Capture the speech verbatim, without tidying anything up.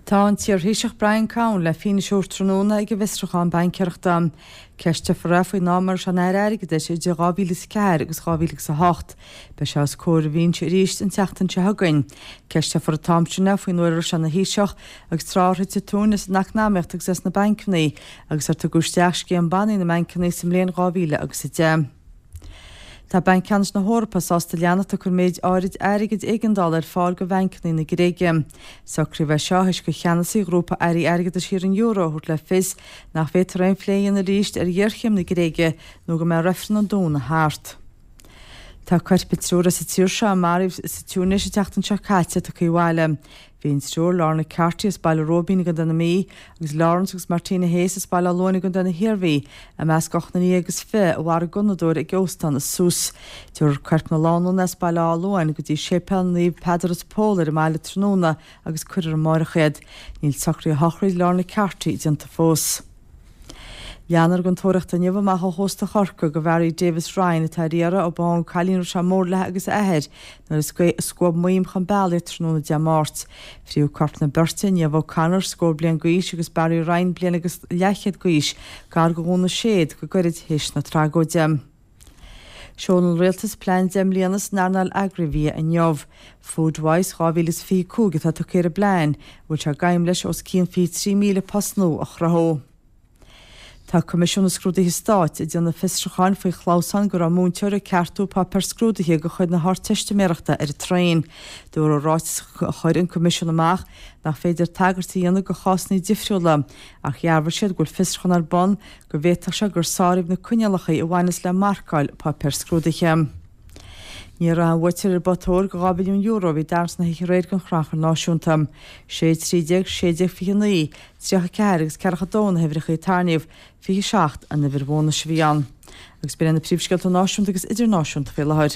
Tá an t-iarThaoiseach Brian Cowen le fianaise a thabhairt tráthnóna ag an bhfiosrúchán baincéireachta. Ceisteofar é faoin am a raibh sé ina Aire Airgeadais idir dhá mhíle is a ceathair agus dhá mhíle agus a hocht. Beidh sé os comhair an bhinse arís an tseachtain seo chugainn. Ceisteofar an t-am sin é faoin uair a raibh sé ina Thaoiseach agus tráth ar thit an tóin as an eacnamaíocht agus as na bancanna agus ar tugadh isteach scéim bannaí na mbancanna sa mbliain dhá mhíle agus a deich. Tá Banc Ceannais na hEorpa sásta leanacht ag cur méid áirid airgid éigeandála ar fáil do bhancanna na Gréige. Socraíodh é seo théis do cheannasaí ghrúpa airí airgeadais thíortha an euro a thabhairt le fios nach bhféadfar aon phlé a dhéanamh arís ar ghéarchéim na Gréige nó go mbeidh reifreann an Domhnaigh thart. Tá coirp an triúr as an tír seo a maraíodh sa Túinéis an tseachtain seo caite tugtha abhaile. Bhí an triúr Lorna Carty as Baile Róibín i gContae na Mí agus Lawrence agus Martina Hayes as Baile Átha Luain i gContae na hIarmhí i measc ochtar déag agus fiche a mharaigh gunnadóir ag óstán i Sousse. Tabharfar coirp na lánúine as Baile Átha Luain go dtí séipéal Naomh Peadar is Pól ar an mbaile tráthnóna agus cuirfear amárach iad. Níl socruithe shochraid Lorna Carty déanta fós. Leanfar den tóraíocht inniu amach ó chósta Chorcaí do Mhary Davis Ryan atá ar iarraidh ó bádh an cailín a raibh sé mór léi agus a athair nuair a scuab maidhm chun bealaigh tráthnóna Dé Máirt. Fríothadh corp na beirte, Niamh O'Connor, scór bliain d'aois agus Barry Ryan bliain agus leathchéad d'aois, gar do Dhún na Séad go gairid théis na tragóide. Seolann an rialtas plean deich mbliana san earnáil agraibhia inniu. Foodwise dhá mhíle is fiche cúig atá tugtha ar an bplean, a bhfuil sé d'aidhm leis os cionn fiche trí míle post nua a chruthú. Tá Coimisiún na Scrúduithe Stáit ag déanamh fiosrúcháin faoi chlamhsán go raibh múinteoir ag ceartú páipéar scrúdaithe de chuid na hArdteistiméireachta ar an traein. Dúradh i ráiteas a chuir an Coimisiún amach nach féidir tagairt a dhéanamh do chásanna difriúla, ach dhearbhaigh siad go bhfuil fiosrúchán ar bun go bhféadfadh sé gur sáraíodh na coinníollacha a bhaineas le marcáil páipéar scrúdaithe. Ní raibh an buaiteoir ar both óir de dhá mhilliún euro a bhí tarraingt na hoíche aréir den Chrannchur Náisiúnta. Sé trí déag, sé déag fiche naoi, tríocha ceathair agus ceathracha dó na huimhreacha a tarraingíodh, fiche seacht an uimhir bhónais a bhí ann. Agus b'in na príomhscéalta náisiúnta agus idirnáisiúnta faoi láthair.